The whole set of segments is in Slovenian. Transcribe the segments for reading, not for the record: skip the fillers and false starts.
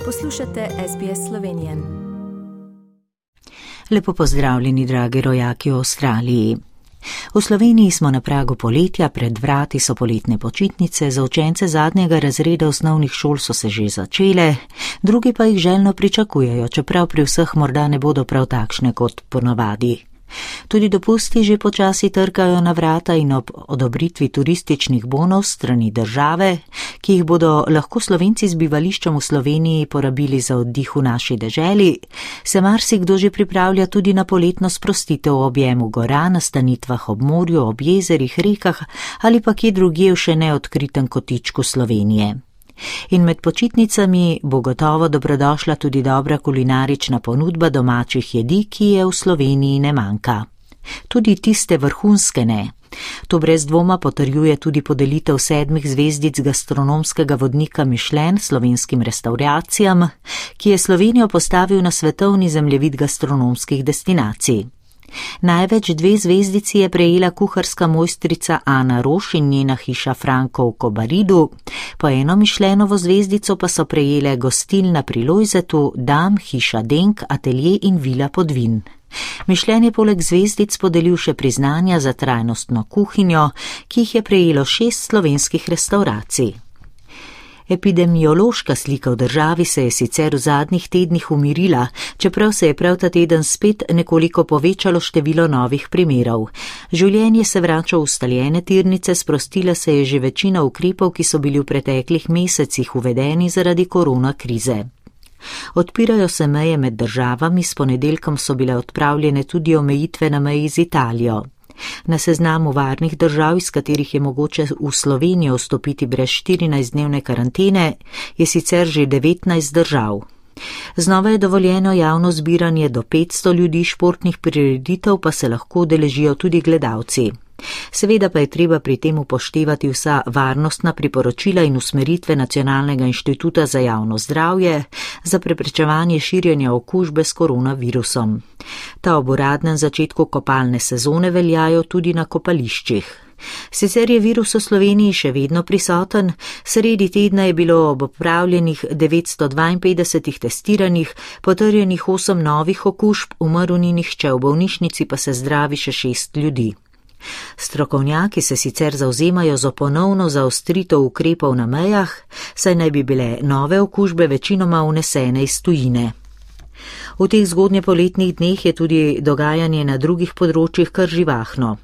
Poslušate SBS Slovenije. Lepo pozdravljeni, dragi rojaki v Avstraliji. V Sloveniji smo na pragu poletja, pred vrati so poletne počitnice, za učence zadnjega razreda osnovnih šol so se že začele, drugi pa jih željno pričakujejo, čeprav pri vseh morda ne bodo prav takšne kot ponavadi. Tudi dopusti že počasi trkajo na vrata in ob odobritvi turističnih bonov strani države, ki jih bodo lahko Slovenci z bivališčem v Sloveniji porabili za oddih v naši deželi, se marsikdo že pripravlja tudi na poletno sprostitev v objemu gora, na stanitvah ob morju, ob jezerih, rekah ali pa kje drugje v še neodkritem kotičku Slovenije. In med počitnicami bo gotovo dobrodošla tudi dobra kulinarična ponudba domačih jedi, ki je v Sloveniji ne manjka. Tudi tiste vrhunske ne. To brez dvoma potrjuje tudi podelitev 7 zvezdic gastronomskega vodnika Michelin slovenskim restauracijam, ki je Slovenijo postavil na svetovni zemljevid gastronomskih destinacij. Največ 2 zvezdici je prejela kuharska mojstrica Ana Roš in njena hiša Franko v Kobaridu, po 1 Michelinovo zvezdico pa so prejele gostilna pri Lojzetu, Dam, hiša Denk, atelje in vila Podvin. Michelin je poleg zvezdic podelil še priznanja za trajnostno kuhinjo, ki jih je prejelo 6 slovenskih restauracij. Epidemiološka slika v državi se je sicer v zadnjih tednih umirila, čeprav se je prav ta teden spet nekoliko povečalo število novih primerov. Življenje se vrača v ustaljene tirnice, sprostila se je že večina ukrepov, ki so bili v preteklih mesecih uvedeni zaradi korona krize. Odpirajo se meje med državami, s ponedeljkom so bile odpravljene tudi omejitve na meji z Italijo. Na seznamu varnih držav, iz katerih je mogoče v Slovenijo vstopiti brez 14-dnevne karantene, je sicer že 19 držav. Znova je dovoljeno javno zbiranje do 500 ljudi, športnih prireditev pa se lahko udeležijo tudi gledalci. Seveda pa je treba pri tem upoštevati vsa varnostna priporočila in usmeritve Nacionalnega inštituta za javno zdravje za preprečevanje širjenja okužbe s koronavirusom. Ta ob uradnem začetku kopalne sezone veljajo tudi na kopališčih. Sicer je virus v Sloveniji še vedno prisoten, sredi tedna je bilo ob opravljenih 952 testiranih, potrjenih 8 novih okužb, umrl ni nihče, v bolnišnici pa se zdravi še 6 ljudi. Strokovnjaki se sicer zavzemajo za ponovno zaostritev ukrepov na mejah, saj naj bi bile nove okužbe večinoma vnesene iz tujine. V teh zgodnjepoletnih dneh je tudi dogajanje na drugih področjih kar živahno.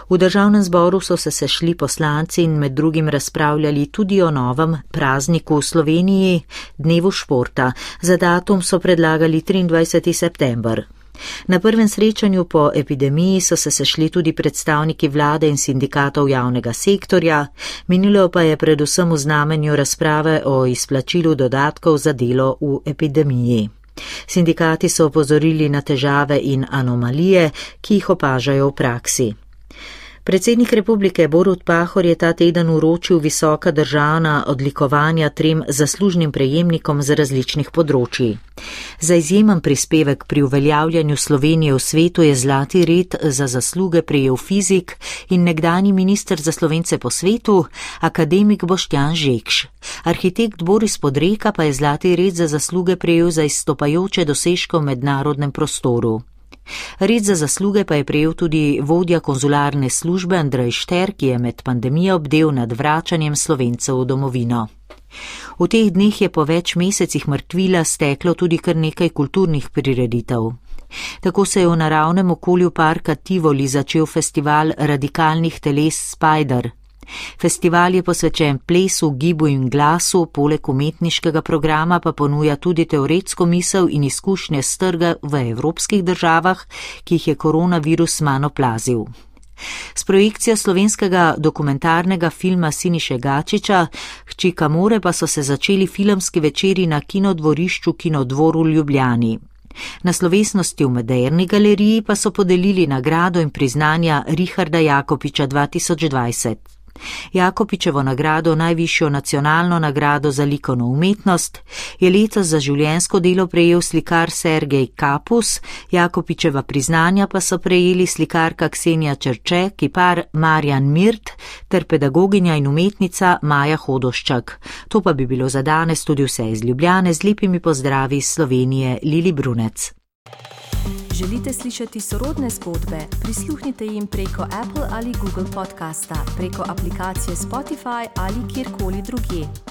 V državnem zboru so se sešli poslanci in med drugim razpravljali tudi o novem prazniku v Sloveniji, dnevu športa. Za datum so predlagali 23. september. Na prvem srečanju po epidemiji so se sešli tudi predstavniki vlade in sindikatov javnega sektorja, minilo pa je predvsem v znamenju razprave o izplačilu dodatkov za delo v epidemiji. Sindikati so opozorili na težave in anomalije, ki jih opažajo v praksi. Predsednik republike Borut Pahor je ta teden uročil visoka državna odlikovanja 3 zaslužnim prejemnikom z različnih področij. Za izjemen prispevek pri uveljavljanju Slovenije v svetu je zlati red za zasluge prejel fizik in nekdanji minister za Slovence po svetu, akademik Boštjan Žekš. Arhitekt Boris Podreka pa je zlati red za zasluge prejel za izstopajoče dosežke v mednarodnem prostoru. Red za zasluge pa je prejel tudi vodja konzularne službe Andrej Šter, ki je med pandemijo bdel nad vračanjem Slovencev v domovino. V teh dneh je po več mesecih mrtvila steklo tudi kar nekaj kulturnih prireditev. Tako se je v naravnem okolju parka Tivoli začel festival radikalnih teles Spider. Festival je posvečen plesu, gibu in glasu, poleg umetniškega programa pa ponuja tudi teoretsko misel in izkušnje s trga v evropskih državah, ki jih je koronavirus manj oplazil. S projekcijo slovenskega dokumentarnega filma Siniše Gačiča, Hči Kamore pa so se začeli filmski večeri na kinodvorišču Kinodvor v Ljubljani. Na slovesnosti v Moderni galeriji pa so podelili nagrado in priznanja Richarda Jakopiča 2020. Jakopičevo nagrado, najvišjo nacionalno nagrado za likovno umetnost, je letos za življenjsko delo prejel slikar Sergej Kapus, Jakopičeva priznanja pa so prejeli slikarka Ksenija Čerče, kipar Marjan Mirt ter pedagoginja in umetnica Maja Hodoščak. To pa bi bilo za danes tudi vse iz Ljubljane, z lepimi pozdravi iz Slovenije, Lili Brunec. Želite slišati sorodne zgodbe? Prisluhnite jim preko Apple ali Google podcasta, preko aplikacije Spotify ali kjerkoli drugje.